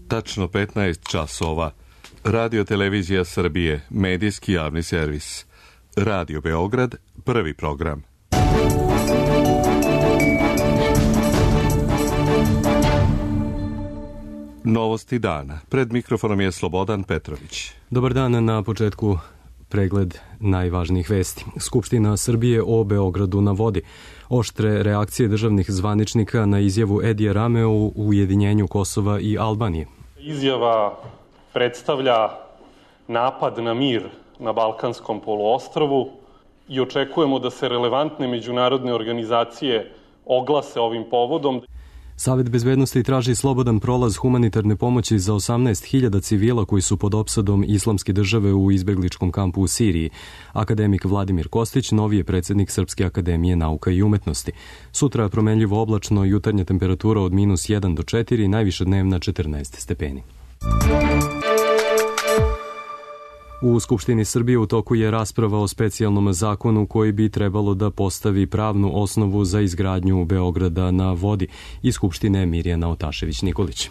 Tačno 15 časova. Radio Televizija Srbije, medijski javni servis. Radio Beograd, prvi program. Novosti dana. Pred mikrofonom je Slobodan Petrović. Dobar dan, na početku pregled najvažnijih vesti. Skupština Srbije o Beogradu na vodi. Oštre reakcije državnih zvaničnika na izjavu Edija Rame o ujedinjenju Kosova i Albanije. Izjava predstavlja napad na mir na Balkanskom poluostrvu i očekujemo da se relevantne međunarodne organizacije oglase ovim povodom. Savet bezbednosti traži slobodan prolaz humanitarne pomoći za 18.000 civila koji su pod opsadom Islamske države u izbegličkom kampu u Siriji. Akademik Vladimir Kostić, novi je predsjednik Srpske akademije nauka i umetnosti. Sutra promenljivo oblačno, jutarnja temperatura od -1 do 4, najviša dnevna 14 stepeni. U Skupštini Srbije u toku je rasprava o specijalnom zakonu koji bi trebalo da postavi pravnu osnovu za izgradnju Beograda na vodi. Iz Skupštine Mirjana Otašević-Nikolić.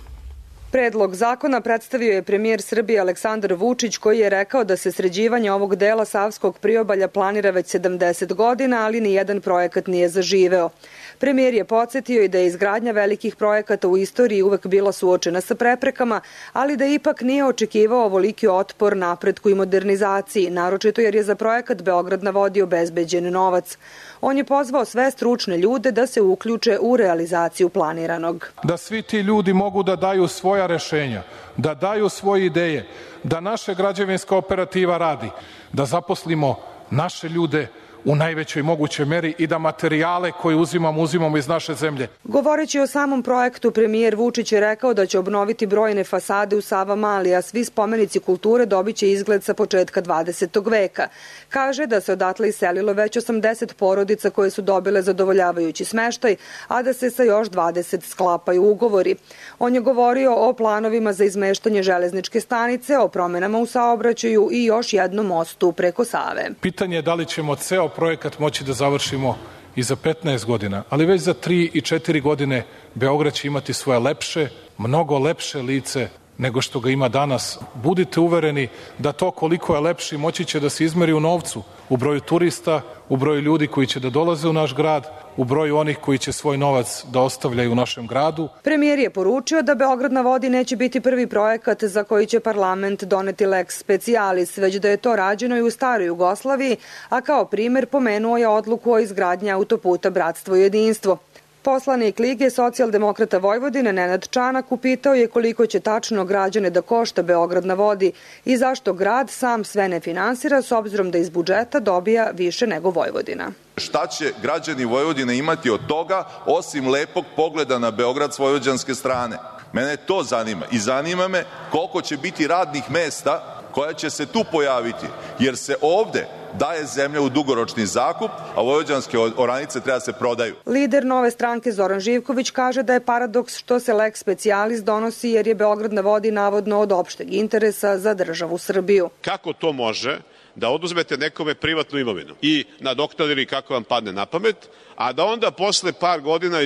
Predlog zakona predstavio je premijer Srbije Aleksandar Vučić, koji je rekao da se sređivanje ovog dela Savskog priobalja planira već 70 godina, ali nijedan projekat nije zaživeo. Premijer je podsjetio i da je izgradnja velikih projekata u istoriji uvek bila suočena sa preprekama, ali da ipak nije očekivao ovoliki otpor napretku i modernizaciji, naročito jer je za projekat Beograd na vodi obezbeđen novac. On je pozvao sve stručne ljude da se uključe u realizaciju planiranog. Da svi ti ljudi mogu da daju svoja rešenja, da daju svoje ideje, da naša građevinska operativa radi, da zaposlimo naše ljude u najvećoj mogućoj meri i da materijale koje uzimamo iz naše zemlje. Govoreći o samom projektu, premijer Vučić je rekao da će obnoviti brojne fasade u Savamali, a svi spomenici kulture dobiće izgled sa početka 20. veka. Kaže da se odatle iselilo već 80 porodica koje su dobile zadovoljavajući smeštaj, a da se sa još 20 sklapaju ugovori. On je govorio o planovima za izmeštanje železničke stanice, o promenama u saobraćaju i još jednom mostu preko Save. Pitanje je da li ćemo ceo projekat moći da završimo i za 15 godina, ali već za 3 i 4 godine Beograd će imati svoje lepše, mnogo lepše lice nego što ga ima danas. Budite uvereni da to koliko je lepši moći će da se izmeri u novcu, u broju turista, u broju ljudi koji će da dolaze u naš grad, u broju onih koji će svoj novac da ostavljaju u našem gradu. Premijer je poručio da Beograd na vodi neće biti prvi projekat za koji će parlament doneti lex specialis, već da je to rađeno i u staroj Jugoslaviji, a kao primer pomenuo je odluku o izgradnji autoputa Bratstvo i jedinstvo. Poslanik Lige socijaldemokrata Vojvodine Nenad Čanak upitao je koliko će tačno građane da košta Beograd na vodi i zašto grad sam sve ne finansira s obzirom da iz budžeta dobija više nego Vojvodina. Šta će građani Vojvodine imati od toga osim lepog pogleda na Beograd s vojvođanske strane? Mene to zanima i zanima me koliko će biti radnih mesta koja će se tu pojaviti, jer se ovde daje zemlja u dugoročni zakup, a vojvođanske oranice treba se prodaju. Lider Nove stranke Zoran Živković kaže da je paradoks što se lex specialis donosi jer je Beograd na vodi navodno od opšteg interesa za državu Srbiju. Kako to može da oduzmete nekome privatnu imovinu i nadoknadili kako vam padne na pamet, a da onda posle par godina,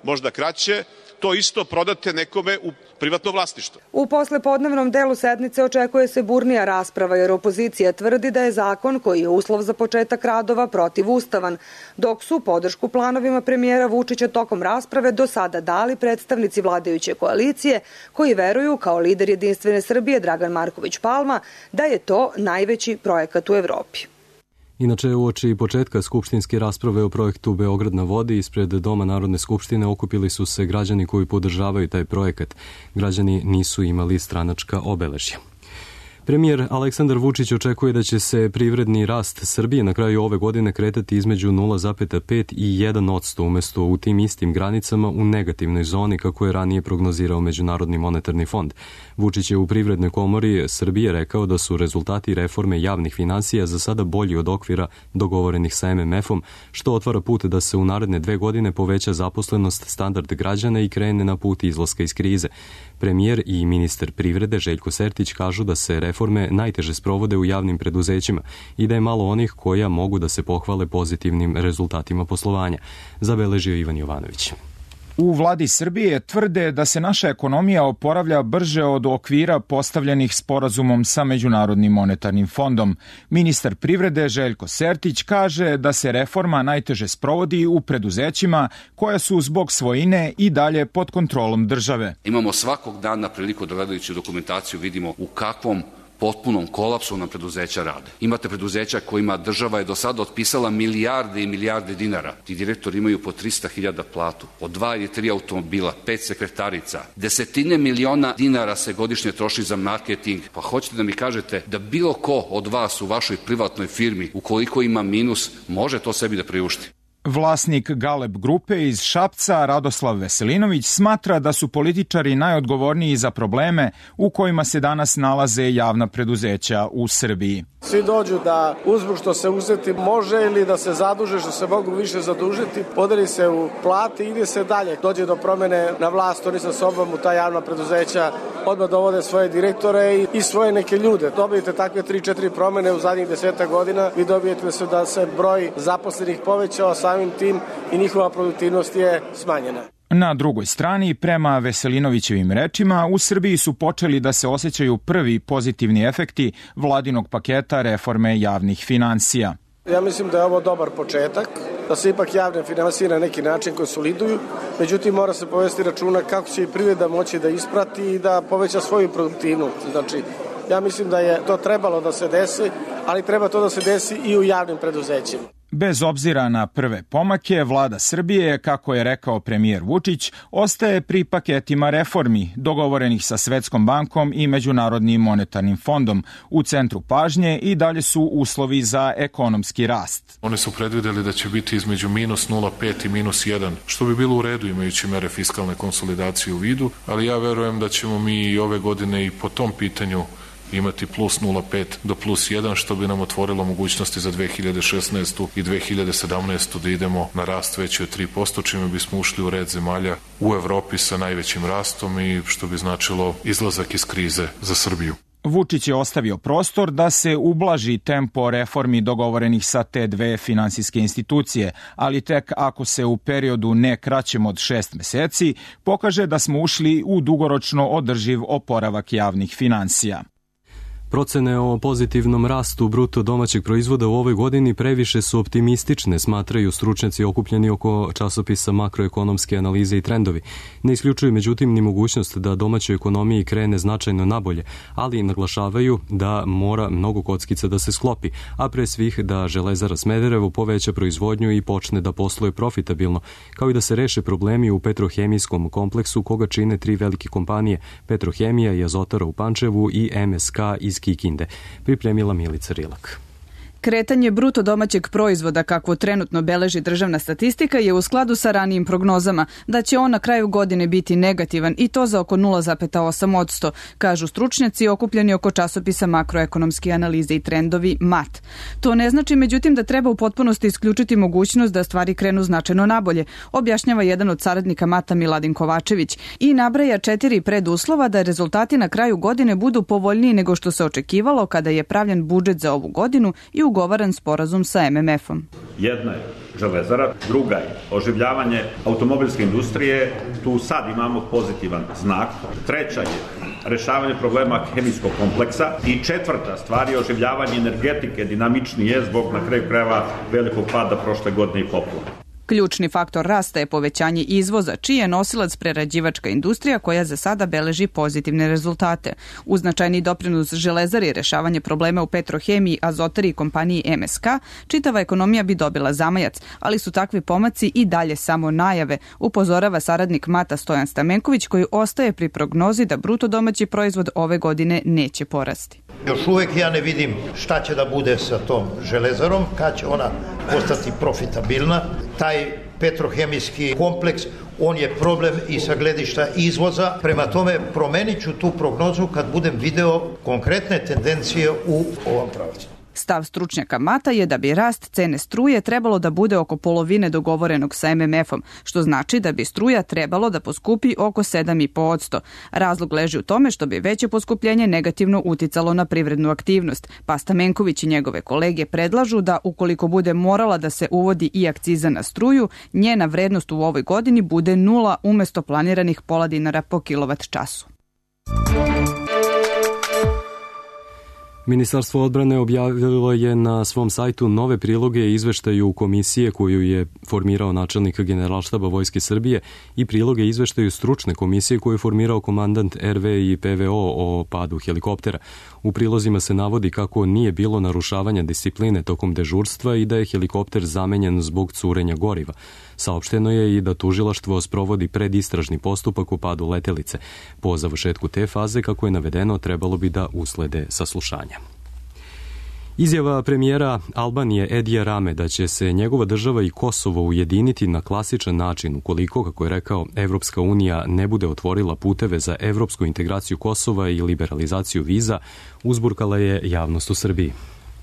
možda kraće, to isto prodate nekome u privatno vlasništvo. U poslepodnevnom delu sednice očekuje se burnija rasprava jer opozicija tvrdi da je zakon koji je uslov za početak radova protivustavan, dok su podršku planovima premijera Vučića tokom rasprave do sada dali predstavnici vladajuće koalicije koji veruju, kao lider Jedinstvene Srbije Dragan Marković Palma, da je to najveći projekat u Evropi. Inače, uoči početka skupštinske rasprave o projektu Beograd na vodi ispred Doma Narodne skupštine okupili su se građani koji podržavaju taj projekat. Građani nisu imali stranačka obeležja. Premijer Aleksandar Vučić očekuje da će se privredni rast Srbije na kraju ove godine kretati između 0,5 i 1% umesto u tim istim granicama u negativnoj zoni kako je ranije prognozirao Međunarodni monetarni fond. Vučić je u Privrednoj komori Srbije rekao da su rezultati reforme javnih finansija za sada bolji od okvira dogovorenih sa MMF-om, što otvara put da se u naredne 2 godine poveća zaposlenost, standard građana i krene na put izlaska iz krize. Premijer i ministar privrede Željko Sertić kažu da se reforme najteže sprovode u javnim preduzećima i da je malo onih koja mogu da se pohvale pozitivnim rezultatima poslovanja, zabeležio Ivan Jovanović. U vladi Srbije tvrde da se naša ekonomija oporavlja brže od okvira postavljenih sporazumom sa Međunarodnim monetarnim fondom. Ministar privrede Željko Sertić kaže da se reforma najteže sprovodi u preduzećima koja su zbog svojine i dalje pod kontrolom države. Imamo svakog dana priliku da gledajući dokumentaciju vidimo u kakvom potpunom kolapsu nam preduzeća rade. Imate preduzeća kojima država je do sada otpisala milijarde i milijarde dinara. Ti direktori imaju po 300.000 platu, po 2 ili 3 automobila, 5 sekretarica. Desetine miliona dinara se godišnje troši za marketing. Pa hoćete da mi kažete da bilo ko od vas u vašoj privatnoj firmi, ukoliko ima minus, može to sebi da priušti? Vlasnik Galeb grupe iz Šapca, Radoslav Veselinović, smatra da su političari najodgovorniji za probleme u kojima se danas nalaze javna preduzeća u Srbiji. Svi dođu da uzmu što se uzeti može ili da se zaduže što se mogu više zadužiti, podeli se u plati i ide se dalje. Dođe do promene na vlast, oni sa sobom u ta javna preduzeća odmah dovode svoje direktore i svoje neke ljude. Dobijete takve 3-4 promene u zadnjih 10 godina, vi dobijete da se broj zaposlenih povećao, samim tim i njihova produktivnost je smanjena. Na drugoj strani, prema Veselinovićevim rečima, u Srbiji su počeli da se osjećaju prvi pozitivni efekti vladinog paketa reforme javnih finansija. Ja mislim da je ovo dobar početak, da se ipak javne finansije na neki način konsoliduju, međutim mora se povesti računa kako će i privreda moći da isprati i da poveća svoju produktivnost. Znači, ja mislim da je to trebalo da se desi, ali treba to da se desi i u javnim preduzećima. Bez obzira na prve pomake, vlada Srbije, kako je rekao premijer Vučić, ostaje pri paketima reformi dogovorenih sa Svetskom bankom i Međunarodnim monetarnim fondom. U centru pažnje i dalje su uslovi za ekonomski rast. Oni su predvideli da će biti između minus 0,5 i minus 1, što bi bilo u redu imajući mere fiskalne konsolidacije u vidu, ali ja verujem da ćemo mi i ove godine i po tom pitanju imati plus 0,5 do plus 1, što bi nam otvorilo mogućnosti za 2016. i 2017. da idemo na rast veći od 3%, čime bismo ušli u red zemalja u Evropi sa najvećim rastom i što bi značilo izlazak iz krize za Srbiju. Vučić je ostavio prostor da se ublaži tempo reformi dogovorenih sa te dve finansijske institucije, ali tek ako se u periodu ne kraćem od 6 meseci pokaže da smo ušli u dugoročno održiv oporavak javnih finansija. Procene o pozitivnom rastu bruto domaćeg proizvoda u ovoj godini previše su optimistične, smatraju stručnjaci okupljeni oko časopisa Makroekonomske analize i trendovi. Ne isključuju međutim ni mogućnost da domaćoj ekonomiji krene značajno nabolje, ali naglašavaju da mora mnogo kockica da se sklopi, a pre svih da Železara Smederevo poveća proizvodnju i počne da posluje profitabilno, kao i da se reše problemi u petrohemijskom kompleksu koga čine 3 velike kompanije, Petrohemija i Azotara u Pančevu i MSK iz Kikinde, pripremila Milica Rilak. Kretanje bruto domaćeg proizvoda, kakvo trenutno beleži državna statistika, je u skladu sa ranijim prognozama, da će on na kraju godine biti negativan i to za oko 0,8%, kažu stručnjaci okupljeni oko časopisa Makroekonomske analize i trendovi MAT. To ne znači međutim da treba u potpunosti isključiti mogućnost da stvari krenu značajno nabolje, objašnjava jedan od saradnika MAT-a Miladin Kovačević i nabraja 4 preduslova da rezultati na kraju godine budu povoljniji nego što se očekivalo kada je pravljen budžet za ovu godinu i ugovaran sporazum sa MMF-om. Jedna je Železara, druga je oživljavanje automobilske industrije, tu sad imamo pozitivan znak. Treća je rešavanje problema hemijskog kompleksa i četvrta stvar je oživljavanje energetike, dinamičnije zbog na kraju krajeva velikog pada prošle godine i poplava. Ključni faktor rasta je povećanje izvoza, čiji je nosilac prerađivačka industrija koja za sada beleži pozitivne rezultate. Uz značajni doprinos Železari i rešavanje problema u Petrohemiji, Azotari i kompaniji MSK, čitava ekonomija bi dobila zamajac, ali su takvi pomaci i dalje samo najave, upozorava saradnik MAT-a Stojan Stamenković, koji ostaje pri prognozi da bruto domaći proizvod ove godine neće porasti. Još uvek ja ne vidim šta će da bude sa tom Železarom, kad će ona postati profitabilna. Taj petrohemijski kompleks, on je problem i sa gledišta izvoza. Prema tome, promenit ću tu prognozu kad budem video konkretne tendencije u ovom pravcu. Stav stručnjaka MATA je da bi rast cene struje trebalo da bude oko polovine dogovorenog sa MMF-om, što znači da bi struja trebalo da poskupi oko 7,5%. Razlog leži u tome što bi veće poskupljenje negativno uticalo na privrednu aktivnost, pa Stamenković i njegove kolege predlažu da ukoliko bude morala da se uvodi i akciza na struju, njena vrednost u ovoj godini bude 0 umesto planiranih pola dinara po kilovat času. Ministarstvo odbrane objavilo je na svom sajtu nove priloge i izveštaju komisije koju je formirao načelnik Generalštaba Vojske Srbije i priloge izveštaju stručne komisije koju je formirao komandant RV i PVO o padu helikoptera. U prilozima se navodi kako nije bilo narušavanja discipline tokom dežurstva i da je helikopter zamenjen zbog curenja goriva. Saopšteno je i da tužilaštvo sprovodi predistražni postupak o padu letelice. Po završetku te faze, kako je navedeno, trebalo bi da uslede saslušanja. Izjava premijera Albanije Edija Rame da će se njegova država i Kosovo ujediniti na klasičan način ukoliko, kako je rekao, Evropska unija ne bude otvorila puteve za evropsku integraciju Kosova i liberalizaciju viza, uzburkala je javnost u Srbiji.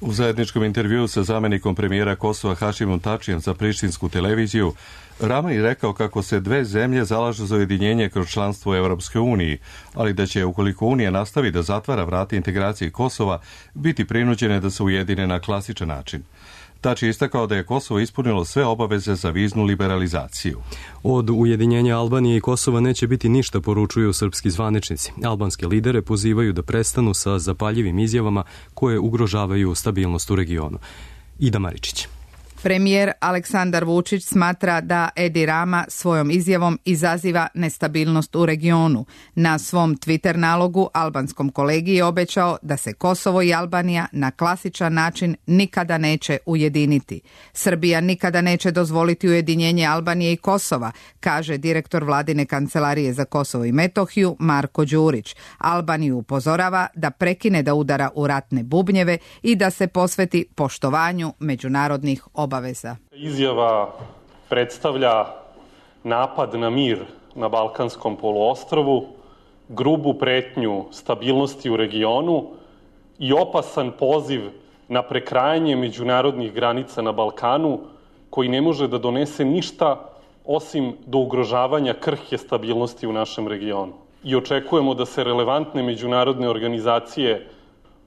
U zajedničkom intervjuu sa zamenikom premijera Kosova Hašimom Tačijem za prištinsku televiziju, Rama je rekao kako se dve zemlje zalažu za ujedinjenje kroz članstvo u Evropskoj uniji, ali da će, ukoliko Unija nastavi da zatvara vrata integracije Kosova, biti prinuđene da se ujedine na klasičan način. Tači je istakao da je Kosovo ispunilo sve obaveze za viznu liberalizaciju. Od ujedinjenja Albanije i Kosova neće biti ništa, poručuju srpski zvaničnici. Albanske lidere pozivaju da prestanu sa zapaljivim izjavama koje ugrožavaju stabilnost u regionu. Ida Maričić. Premijer Aleksandar Vučić smatra da Edi Rama svojom izjavom izaziva nestabilnost u regionu. Na svom Twitter nalogu albanskom kolegi je obećao da se Kosovo i Albanija na klasičan način nikada neće ujediniti. Srbija nikada neće dozvoliti ujedinjenje Albanije i Kosova, kaže direktor vladine kancelarije za Kosovo i Metohiju Marko Đurić. Albaniju upozorava da prekine da udara u ratne bubnjeve i da se posveti poštovanju međunarodnih obaveza. Izjava predstavlja napad na mir na Balkanskom poluostrvu, grubu pretnju stabilnosti u regionu i opasan poziv na prekrajanje međunarodnih granica na Balkanu, koji ne može da donese ništa osim do ugrožavanja krhke stabilnosti u našem regionu. I očekujemo da se relevantne međunarodne organizacije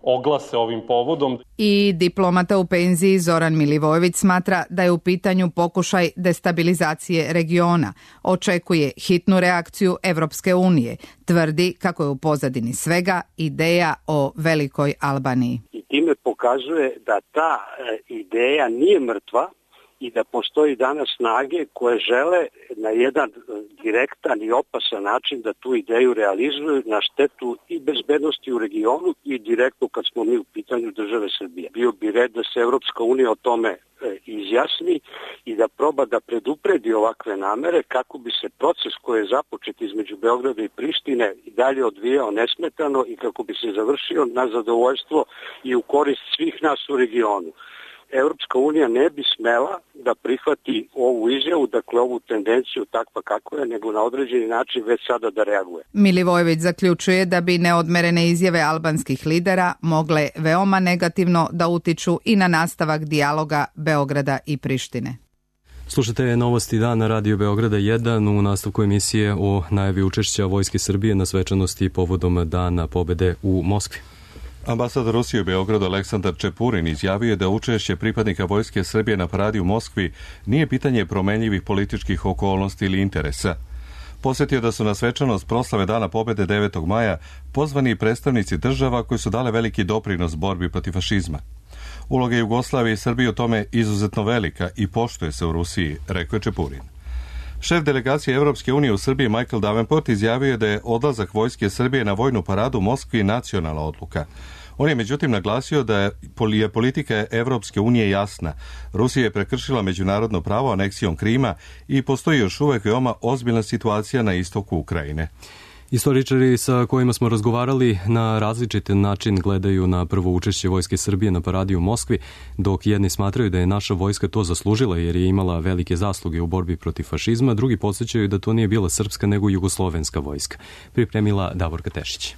oglase ovim povodom. I diplomata u penziji Zoran Milivojević smatra da je u pitanju pokušaj destabilizacije regiona. Očekuje hitnu reakciju Evropske unije. Tvrdi kako je u pozadini svega ideja o velikoj Albaniji. I time pokazuje da ta ideja nije mrtva i da postoji danas snage koje žele na jedan direktan i opasan način da tu ideju realizuju na štetu i bezbednosti u regionu i direktno kad smo mi u pitanju države Srbije. Bio bi red da se Evropska unija o tome izjasni i da proba da predupredi ovakve namere kako bi se proces koji je započet između Beograda i Prištine i dalje odvijao nesmetano i kako bi se završio na zadovoljstvo i u korist svih nas u regionu. Evropska unija ne bi smela da prihvati ovu izjavu, dakle ovu tendenciju takva kako je, nego na određeni način već sada da reaguje. Milivojević zaključuje da bi neodmerene izjave albanskih lidera mogle veoma negativno da utiču i na nastavak dijaloga Beograda i Prištine. Slušate Novosti dan na Radio Beograda 1 u nastavku emisije o najavi učešća Vojske Srbije na svečanosti povodom Dana pobede u Moskvi. Ambasador Rusije u Beogradu Aleksandar Čepurin izjavio je da učešće pripadnika Vojske Srbije na paradi u Moskvi nije pitanje promenljivih političkih okolnosti ili interesa. Posjetio da su na svečanost proslave Dana pobede 9. maja pozvani predstavnici država koji su dale veliki doprinos borbi protiv fašizma. Uloga Jugoslavije i Srbije u tome izuzetno velika i poštuje se u Rusiji, rekao je Čepurin. Šef delegacije Evropske unije u Srbiji Michael Davenport izjavio je da je odlazak Vojske Srbije na vojnu paradu u Moskvi nacionalna odluka. On je međutim naglasio da je politika Evropske unije jasna. Rusija je prekršila međunarodno pravo aneksijom Krima i postoji još uvek veoma ozbiljna situacija na istoku Ukrajine. Istoričari sa kojima smo razgovarali na različit način gledaju na prvo učešće Vojske Srbije na paradi u Moskvi, dok jedni smatraju da je naša vojska to zaslužila jer je imala velike zasluge u borbi protiv fašizma, drugi podsjećaju da to nije bila srpska nego jugoslovenska vojska. Pripremila Davorka Tešić.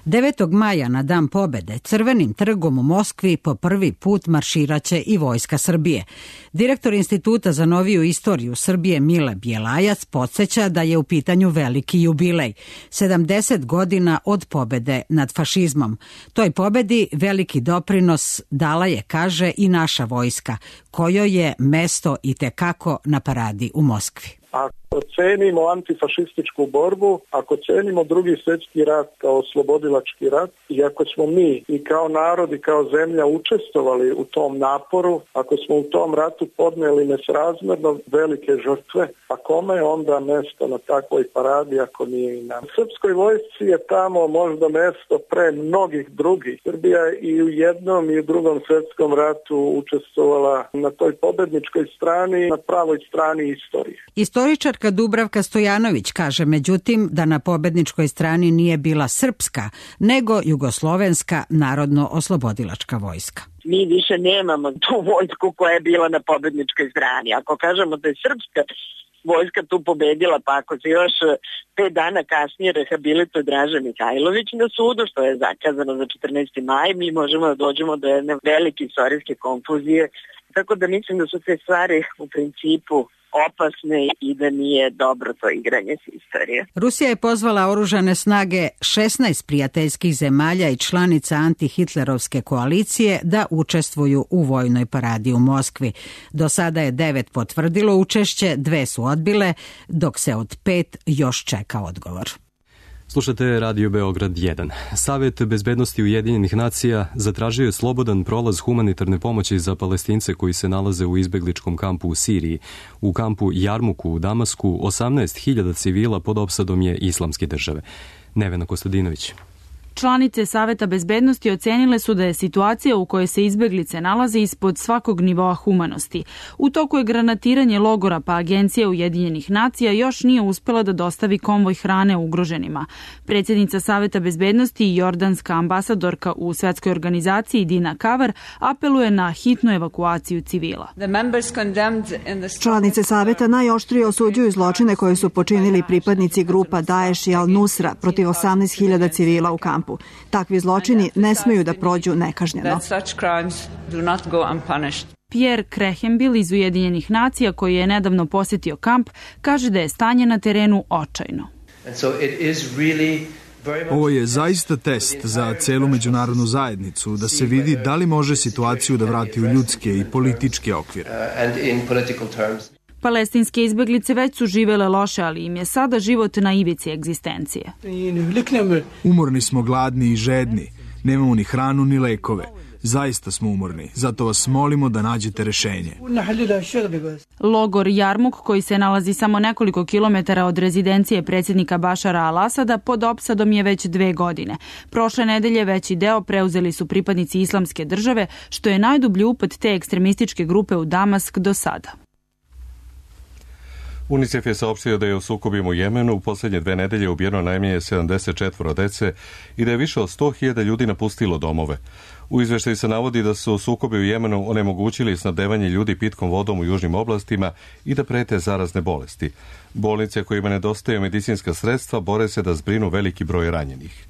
9. maja na Dan pobede Crvenim trgom u Moskvi po prvi put marširaće i Vojska Srbije. Direktor Instituta za noviju istoriju Srbije Mile Bjelajac podsjeća da je u pitanju veliki jubilej, 70 godina od pobede nad fašizmom. Toj pobedi veliki doprinos dala je, kaže, i naša vojska, kojoj je mesto itekako na paradi u Moskvi. Ako cenimo antifašističku borbu, ako cenimo Drugi svjetski rat kao oslobodilački rat i ako smo mi i kao narod i kao zemlja učestvovali u tom naporu, ako smo u tom ratu podnijeli nesrazmjerno velike žrtve, a kome je onda mesto na takvoj paradi ako nije i nam? Srpskoj vojsci je tamo možda mesto pre mnogih drugih. Srbija i u jednom i u Drugom svjetskom ratu učestvovala na toj pobedničkoj strani, na pravoj strani istorije. Istoričarka Dubravka Stojanović kaže međutim da na pobedničkoj strani nije bila srpska, nego jugoslovenska narodno-oslobodilačka vojska. Mi više nemamo tu vojsku koja je bila na pobedničkoj strani. Ako kažemo da je srpska vojska tu pobedila, pa ako se još 5 dana kasnije rehabilituje Draža Mihajlović na sudu, što je zakazano za 14. maj, mi možemo da dođemo do jedne velike istorijske konfuzije. Tako da mislim da su te stvari u principu opasne i da nije dobro to igranje s istorije. Rusija je pozvala oružane snage 16 prijateljskih zemalja i članica antihitlerovske koalicije da učestvuju u vojnoj paradi u Moskvi. Do sada je 9 potvrdilo učešće, 2 su odbile, dok se od 5 još čeka odgovor. Slušate Radio Beograd 1. Savet bezbednosti Ujedinjenih nacija zatražio je slobodan prolaz humanitarne pomoći za Palestince koji se nalaze u izbegličkom kampu u Siriji. U kampu Jarmuku u Damasku 18.000 civila pod opsadom je Islamske države. Nevena Kostadinović. Članice Saveta bezbednosti ocenile su da je situacija u kojoj se izbeglice nalaze ispod svakog nivoa humanosti. U toku je granatiranje logora, pa Agencija Ujedinjenih nacija još nije uspela da dostavi konvoj hrane ugroženima. Predsjednica Saveta bezbednosti i jordanska ambasadorka u Svetskoj organizaciji Dina Kavar apeluje na hitnu evakuaciju civila. Članice Saveta najoštrije osuđuju zločine koje su počinili pripadnici grupa Daesh i Al-Nusra protiv 18.000 civila u kampu. Takvi zločini ne smeju da prođu nekažnjeno. Pierre Krehenbil iz Ujedinjenih nacija, koji je nedavno posjetio kamp, kaže da je stanje na terenu očajno. Ovo je zaista test za celu međunarodnu zajednicu, da se vidi da li može situaciju da vrati u ljudske i političke okvire. Palestinske izbeglice već su živele loše, ali im je sada život na ivici egzistencije. Umorni smo, gladni i žedni. Nemamo ni hranu ni lekove. Zaista smo umorni, zato vas molimo da nađete rešenje. Logor Jarmuk, koji se nalazi samo nekoliko kilometara od rezidencije predsjednika Bašara al-Asada, pod opsadom je već 2 godine. Prošle nedelje veći deo preuzeli su pripadnici Islamske države, što je najdublji upad te ekstremističke grupe u Damask do sada. UNICEF je saopštio da je u sukobima u Jemenu u posljednje 2 nedelje ubijeno najmanje 74 dece i da je više od 100.000 ljudi napustilo domove. U izveštaju se navodi da su sukobi u Jemenu onemogućili snabdevanje ljudi pitkom vodom u južnim oblastima i da prete zarazne bolesti. Bolnice kojima nedostaju medicinska sredstva bore se da zbrinu veliki broj ranjenih.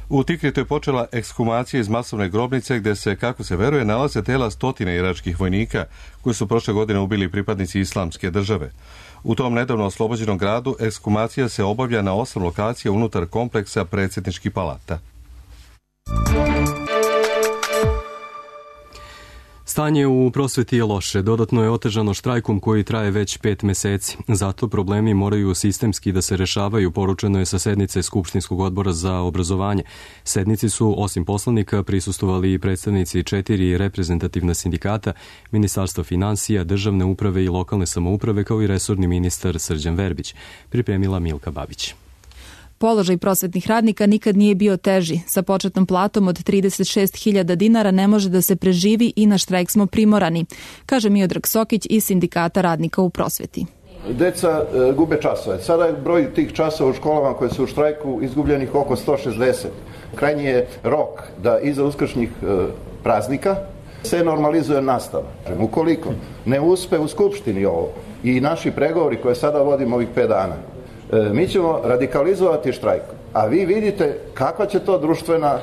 U Tikritu je počela ekshumacija iz masovne grobnice gdje se, kako se veruje, nalaze tela 100 iračkih vojnika koji su prošle godine ubili pripadnici Islamske države. U tom nedavno oslobođenom gradu ekshumacija se obavlja na 8 lokacija unutar kompleksa predsjedničkih palata. Stanje u prosveti je loše, dodatno je otežano štrajkom koji traje već 5 meseci. Zato problemi moraju sistemski da se rešavaju, poručeno je sa sednice Skupštinskog odbora za obrazovanje. Sednici su, osim poslanika, prisustvovali i predstavnici 4 reprezentativna sindikata, Ministarstva finansija, državne uprave i lokalne samouprave, kao i resorni ministar Srđan Verbić, pripremila Milka Babić. Položaj prosvetnih radnika nikad nije bio teži. Sa početnom platom od 36.000 dinara ne može da se preživi i na štrajk smo primorani, kaže Miodrag Sokić iz Sindikata radnika u prosveti. Deca gube časove. Sada je broj tih časova u školama koje su u štrajku izgubljenih oko 160. Krajnji je rok da iza uskršnjih praznika se normalizuje nastava. Ukoliko ne uspe u Skupštini ovo i naši pregovori koje sada vodimo ovih 5 dana, mi ćemo radikalizovati štrajk A vi vidite kakva će to društvena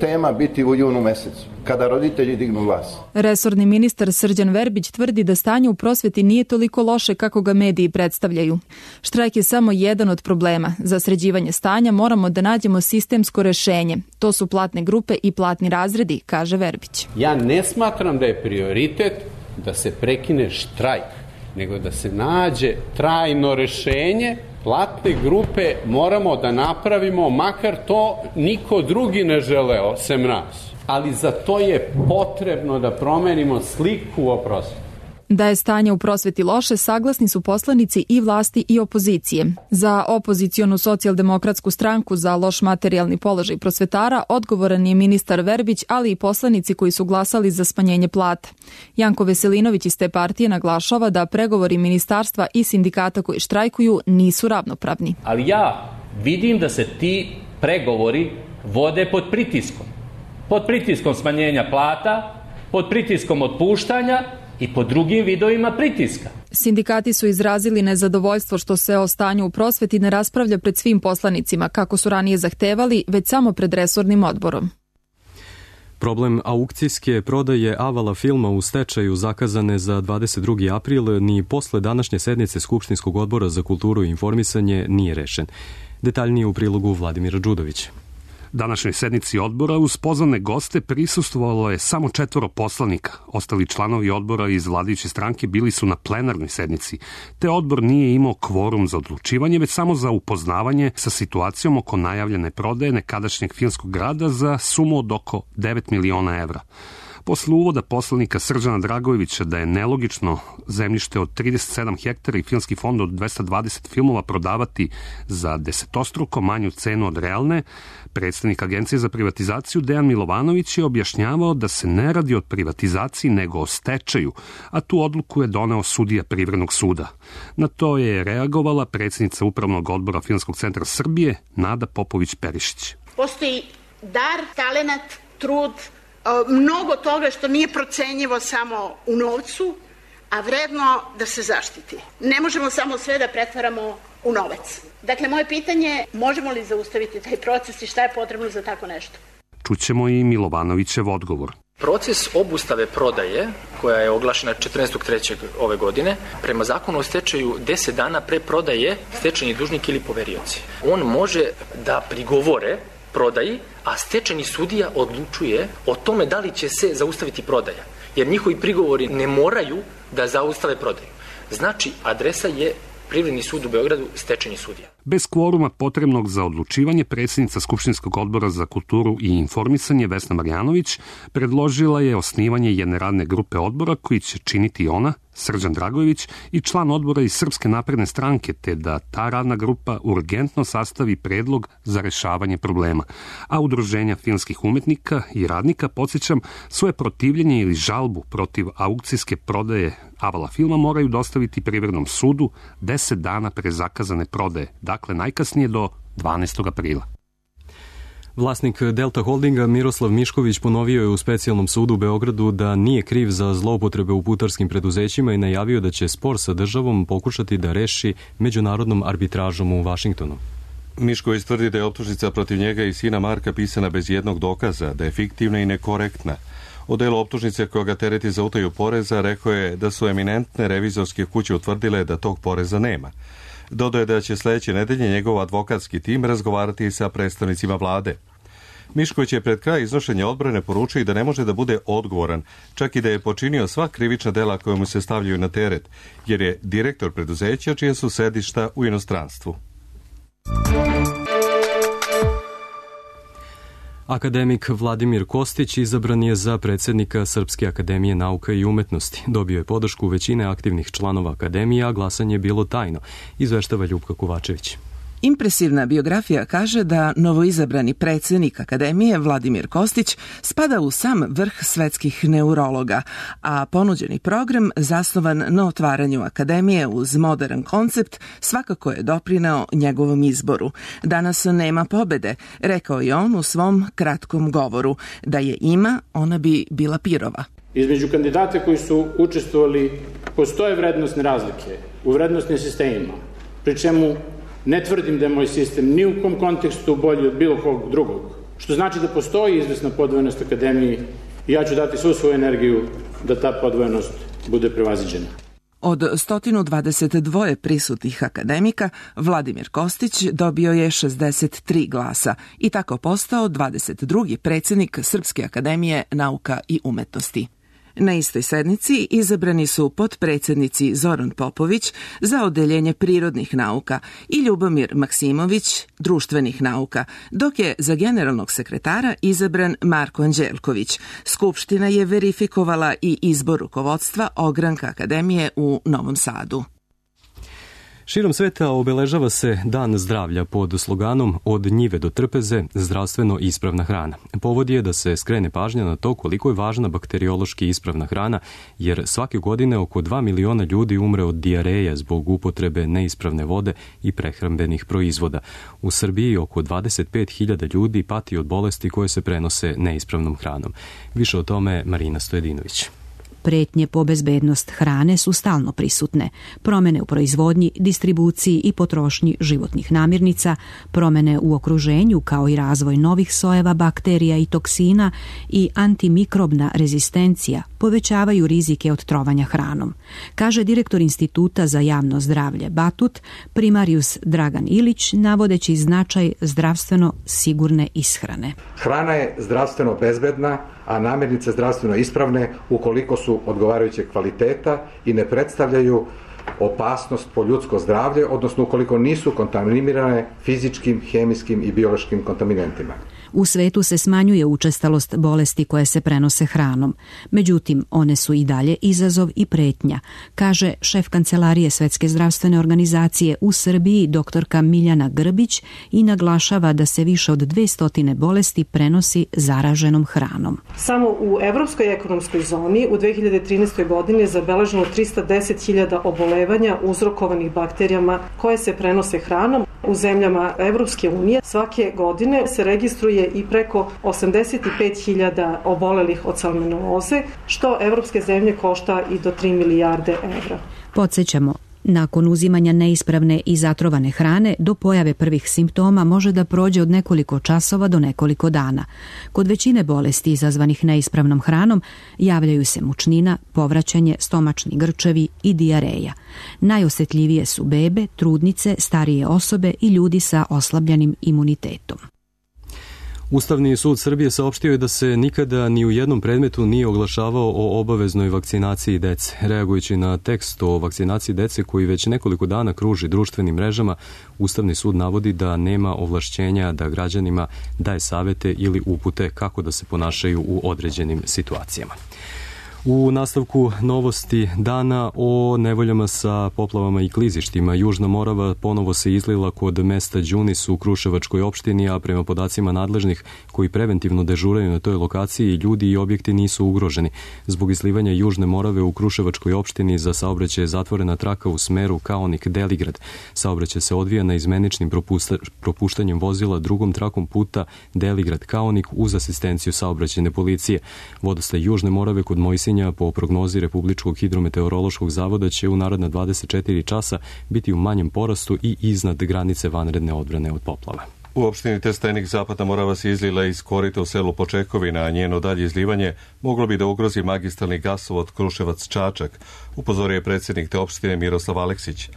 tema biti u junu mesecu, kada roditelji dignu glas. Resorni ministar Srđan Verbić tvrdi da stanje u prosveti nije toliko loše kako ga mediji predstavljaju. Štrajk je samo jedan od problema. Za sređivanje stanja moramo da nađemo sistemsko rešenje. To su platne grupe i platni razredi, kaže Verbić. Ja ne smatram da je prioritet da se prekine štrajk, nego da se nađe trajno rešenje. Platne grupe moramo da napravimo, makar to niko drugi ne želeo sem nas. Ali za to je potrebno da promenimo sliku o prosveti. Da je stanje u prosveti loše, saglasni su poslanici i vlasti i opozicije. Za opozicionu socijaldemokratsku stranku za loš materijalni položaj prosvetara odgovoran je ministar Verbić, ali i poslanici koji su glasali za smanjenje plata. Janko Veselinović iz te partije naglašava da pregovori ministarstva i sindikata koji štrajkuju nisu ravnopravni. Ali ja vidim da se ti pregovori vode pod pritiskom. Pod pritiskom smanjenja plata, pod pritiskom otpuštanja i po drugim vidovima pritiska. Sindikati su izrazili nezadovoljstvo što se o stanju u prosveti ne raspravlja pred svim poslanicima, kako su ranije zahtevali, već samo pred resornim odborom. Problem aukcijske prodaje Avala filma u stečaju zakazane za 22. april ni posle današnje sednice Skupštinskog odbora za kulturu i informisanje nije rešen. Detaljnije u prilogu Vladimira Đudovića. Današnjoj sednici odbora uz pozvane goste prisustvovalo je samo 4 poslanika. Ostali članovi odbora iz vladajuće stranke bili su na plenarnoj sednici, te odbor nije imao kvorum za odlučivanje, već samo za upoznavanje sa situacijom oko najavljene prodaje nekadašnjeg filmskog grada za sumu od oko 9 miliona evra. Posle uvoda poslanika Srđana Dragojevića da je nelogično zemljište od 37 hektara i filmski fond od 220 filmova prodavati za desetostruko manju cenu od realne, predstavnik Agencije za privatizaciju Dejan Milovanović je objašnjavao da se ne radi o privatizaciji nego o stečaju, a tu odluku je doneo sudija Privrednog suda. Na to je reagovala predsjednica Upravnog odbora Filmskog centra Srbije Nada Popović-Perišić. Postoji dar, talenat, trud, mnogo toga što nije procenjivo samo u novcu, a vredno da se zaštiti. Ne možemo samo sve da pretvaramo u novac. Dakle, moje pitanje je možemo li zaustaviti taj proces i šta je potrebno za tako nešto? Čućemo i Milovanovićev odgovor. Proces obustave prodaje, koja je oglašena 14.3. ove godine, prema zakonu o stečaju 10 dana pre prodaje stečajni dužnik ili poverioci. On može da prigovore prodaji, a stečajni sudija odlučuje o tome da li će se zaustaviti prodaja. Jer njihovi prigovori ne moraju da zaustave prodaju. Znači, adresa je Privredni sud u Beogradu, stečajni sudija. Bez kvoruma potrebnog za odlučivanje, predsjednica Skupštinskog odbora za kulturu i informisanje Vesna Marjanović predložila je osnivanje jedne radne grupe odbora koji će činiti ona, Srđan Dragojević i član odbora iz Srpske napredne stranke, te da ta radna grupa urgentno sastavi predlog za rešavanje problema. A udruženja filmskih umetnika i radnika, podsjećam, svoje protivljenje ili žalbu protiv aukcijske prodaje Avala filma moraju dostaviti Privrednom sudu 10 dana pre zakazane prodaje, dakle najkasnije do 12. aprila. Vlasnik Delta Holdinga Miroslav Mišković ponovio je u specijalnom sudu u Beogradu da nije kriv za zloupotrebe u putarskim preduzećima i najavio da će spor sa državom pokušati da reši međunarodnom arbitražom u Vašingtonu. Mišković tvrdi da je optužnica protiv njega i sina Marka pisana bez jednog dokaza, da je fiktivna i nekorektna. O delu optužnice koja ga tereti za utaju poreza rekao je da su eminentne revizorske kuće utvrdile da tog poreza nema. Dodao je da će sledeće nedelje njegov advokatski tim razgovarati sa predstavnicima vlade. Mišković je pred kraj iznošenja odbrane poručio i da ne može da bude odgovoran, čak i da je počinio sva krivična dela koja mu se stavljaju na teret, jer je direktor preduzeća čija su sedišta u inostranstvu. Akademik Vladimir Kostić izabran je za predsjednika Srpske akademije nauka i umetnosti. Dobio je podršku većine aktivnih članova akademije, a glasanje je bilo tajno, izveštava Ljupka Kovačević. Impresivna biografija kaže da novoizabrani predsjednik Akademije Vladimir Kostić spada u sam vrh svetskih neurologa, a ponuđeni program zasnovan na otvaranju Akademije uz modern koncept svakako je doprineo njegovom izboru. Danas nema pobede, rekao je on u svom kratkom govoru. Da je ima, ona bi bila pirova. Između kandidata koji su učestvovali postoje vrednostne razlike u vrednostnim sistemima, pri čemu Ne tvrdim da je moj sistem ni u kom kontekstu bolji od bilo kog drugog, što znači da postoji izvesna podvojenost akademiji i ja ću dati svu svoju energiju da ta podvojenost bude prevaziđena. Od 122 prisutnih akademika, Vladimir Kostić dobio je 63 glasa i tako postao 22. predsjednik Srpske akademije nauka i umetnosti. Na istoj sednici izabrani su potpredsjednici Zoran Popović za odeljenje prirodnih nauka i Ljubomir Maksimović društvenih nauka, dok je za generalnog sekretara izabran Marko Anđelković. Skupština je verifikovala i izbor rukovodstva Ogranka akademije u Novom Sadu. Širom sveta obeležava se Dan zdravlja pod sloganom Od njive do trpeze, zdravstveno ispravna hrana. Povod je da se skrene pažnja na to koliko je važna bakteriološki ispravna hrana, jer svake godine oko 2 miliona ljudi umre od dijareja zbog upotrebe neispravne vode i prehrambenih proizvoda. U Srbiji oko 25.000 ljudi pati od bolesti koje se prenose neispravnom hranom. Više o tome Marina Stojedinović. Pretnje po bezbednost hrane su stalno prisutne. Promene u proizvodnji, distribuciji i potrošnji životnih namirnica, promene u okruženju kao i razvoj novih sojeva bakterija i toksina i antimikrobna rezistencija povećavaju rizike od trovanja hranom, kaže direktor Instituta za javno zdravlje Batut, primarius Dragan Ilić, navodeći značaj zdravstveno sigurne ishrane. Hrana je zdravstveno bezbedna, a namirnice zdravstveno ispravne ukoliko su odgovarajućeg kvaliteta i ne predstavljaju opasnost po ljudsko zdravlje, odnosno ukoliko nisu kontaminirane fizičkim, hemijskim i biološkim kontaminentima. U svetu se smanjuje učestalost bolesti koje se prenose hranom. Međutim, one su i dalje izazov i pretnja, kaže šef Kancelarije Svetske zdravstvene organizacije u Srbiji doktorka Miljana Grbić i naglašava da se više od 200 bolesti prenosi zaraženom hranom. Samo u Evropskoj ekonomskoj zoni u 2013. godini je zabeleženo 310.000 obolevanja uzrokovanih bakterijama koje se prenose hranom. U zemljama Evropske unije svake godine se registruje i preko 85.000 obolelih od salmonelloze, što evropske zemlje košta i do 3 milijarde evra. Podsjećamo, nakon uzimanja neispravne i zatrovane hrane do pojave prvih simptoma može da prođe od nekoliko časova do nekoliko dana. Kod većine bolesti izazvanih neispravnom hranom javljaju se mučnina, povraćanje, stomačni grčevi i dijareja. Najosjetljivije su bebe, trudnice, starije osobe i ljudi sa oslabljenim imunitetom. Ustavni sud Srbije saopštio je da se nikada ni u jednom predmetu nije oglašavao o obaveznoj vakcinaciji dece. Reagujući na tekst o vakcinaciji dece koji već nekoliko dana kruži društvenim mrežama, Ustavni sud navodi da nema ovlašćenja da građanima daje savete ili upute kako da se ponašaju u određenim situacijama. U nastavku novosti dana o nevoljama sa poplavama i klizištima. Južna Morava ponovo se izlila kod mesta Đunis u Kruševačkoj opštini, a prema podacima nadležnih koji preventivno dežuraju na toj lokaciji, ljudi i objekti nisu ugroženi. Zbog izlivanja Južne Morave u Kruševačkoj opštini za saobraćaj je zatvorena traka u smeru Kaonik-Deligrad. Saobraćaj se odvija na izmeničnim propuštanjem vozila drugom trakom puta Deligrad-Kaonik uz asistenciju saobraćajne policije. Vodostaj Južne Morave kod Mojsinja po prognozi Republičkog hidrometeorološkog zavoda će u naredna 24 časa biti u manjem porastu i iznad granice vanredne odbrane od poplava. U opštini Trstenik Zapadna Morava se izlila iz korita u selu Počekovina, a njeno dalje izlivanje moglo bi da ugrozi magistralni gasovod Kruševac-Čačak, upozorio je predsjednik te opštine Miroslav Aleksić.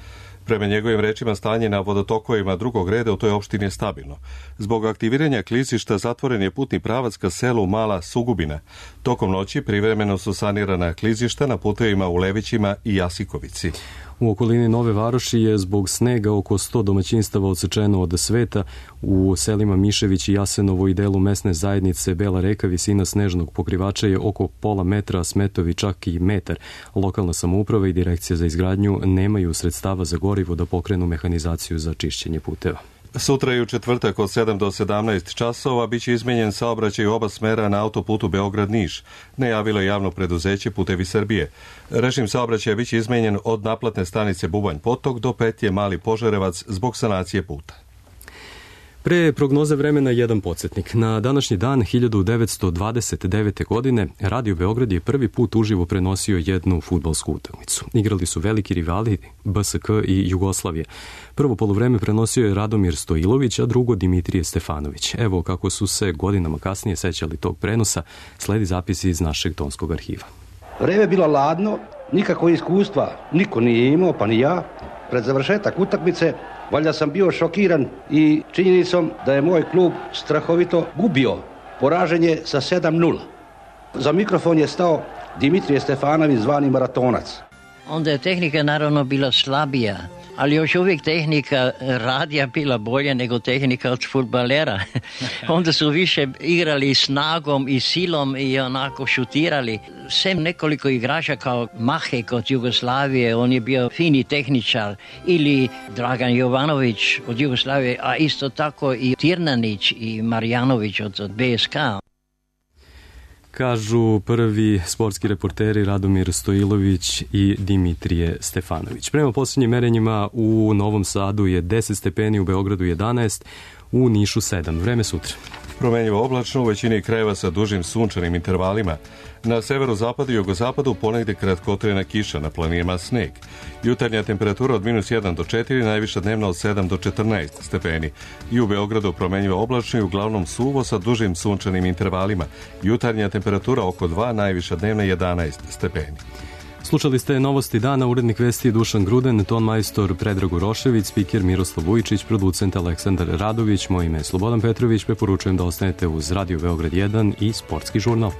Prema njegovim rečima, stanje na vodotokovima drugog reda u toj opštini je stabilno. Zbog aktiviranja klizišta zatvoren je putni pravac ka selu Mala Sugubina. Tokom noći privremeno su sanirana klizišta na putevima u Levićima i Jasikovici. U okolini Nove Varoši je zbog snega oko 100 domaćinstava odsečeno od sveta. U selima Mišević i Jasenovo i delu mesne zajednice Bela Reka visina snežnog pokrivača je oko pola metra, a smetovi čak i metar. Lokalna samouprava i direkcija za izgradnju nemaju sredstava za gorivo da pokrenu mehanizaciju za čišćenje puteva. Sutra i u četvrtak od 7 do 17 časova biće izmenjen saobraćaj u oba smera na autoputu Beograd-Niš, najavilo je javno preduzeće Putevi Srbije. Režim saobraćaja biće izmenjen od naplatne stanice Bubanj Potok do petlje Mali Požarevac zbog sanacije puta. Pre prognoze vremena jedan podsjetnik. Na današnji dan 1929. godine Radio Beograd je prvi put uživo prenosio jednu fudbalsku utakmicu. Igrali su veliki rivali BSK i Jugoslavije. Prvo poluvreme prenosio je Radomir Stojilović, a drugo Dimitrije Stefanović. Evo kako su se godinama kasnije sećali tog prenosa, sledi zapisi iz našeg tonskog arhiva. Vreme je bilo ladno, nikako iskustva niko nije imao, pa ni ja. Pred završetak utakmice valjda sam bio šokiran i činjenicom da je moj klub strahovito gubio. Poražen je sa 7-0. Za mikrofon je stao Dimitrije Stefanović, zvani Maratonac. Onda je tehnika naravno bila slabija, ali još uvijek tehnika radija bila bolja nego tehnika od fudbalera. Onda su više igrali snagom i silom i onako šutirali. Sem nekoliko igrača kao Mahek od Jugoslavije, on je bio fini tehničar, ili Dragan Jovanović od Jugoslavije, a isto tako i Tirnanić i Marjanović od BSK. Kažu prvi sportski reporteri Radomir Stojilović i Dimitrije Stefanović. Prema posljednjim merenjima u Novom Sadu je 10 stepeni, u Beogradu 11, u Nišu 7. Vreme sutra. Promenjivo oblačno u većini krajeva sa dužim sunčanim intervalima. Na severozapadu i jugozapadu ponegde kratkotrajna kiša, na planinama sneg. Jutarnja temperatura od -1 do 4, najviša dnevna od 7 do 14 stepeni. I u Beogradu promenjivo oblačno i uglavnom suvo sa dužim sunčanim intervalima. Jutarnja temperatura oko 2, najviša dnevna 11 stepeni. Slušali ste novosti dana, urednik vesti Dušan Gruden, ton majstor Predrag Urošević, spiker Miroslav Vujčić, producent Aleksandar Radović, moje ime je Slobodan Petrović, preporučujem da ostanete uz Radio Beograd 1 i Sportski žurnal.